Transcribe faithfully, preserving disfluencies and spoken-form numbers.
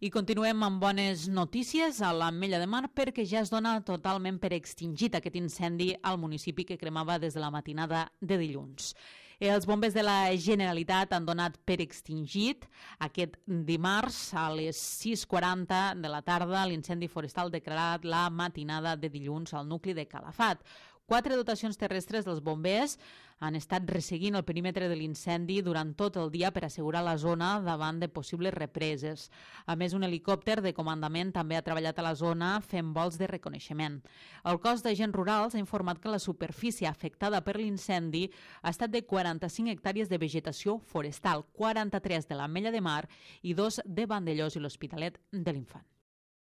I continuem amb bones notícies a l'Ametlla de Mar perquè ja es dona totalment per extingit aquest incendi al municipi que cremava des de la matinada de dilluns. Els bombers de la Generalitat han donat per extingit aquest dimarts a les sis quaranta de la tarda l'incendi forestal declarat la matinada de dilluns al nucli de Calafat. Quatre dotacions terrestres dels bombers han estat resseguint el perímetre de l'incendi durant tot el dia per assegurar la zona davant de possibles represes. A més, un helicòpter de comandament també ha treballat a la zona fent vols de reconeixement. El cos d'agents rurals ha informat que la superfície afectada per l'incendi ha estat de quaranta-cinc hectàrees de vegetació forestal, quaranta-tres de l'Ametlla de Mar i dos de Vandellòs i l'Hospitalet de l'Infant.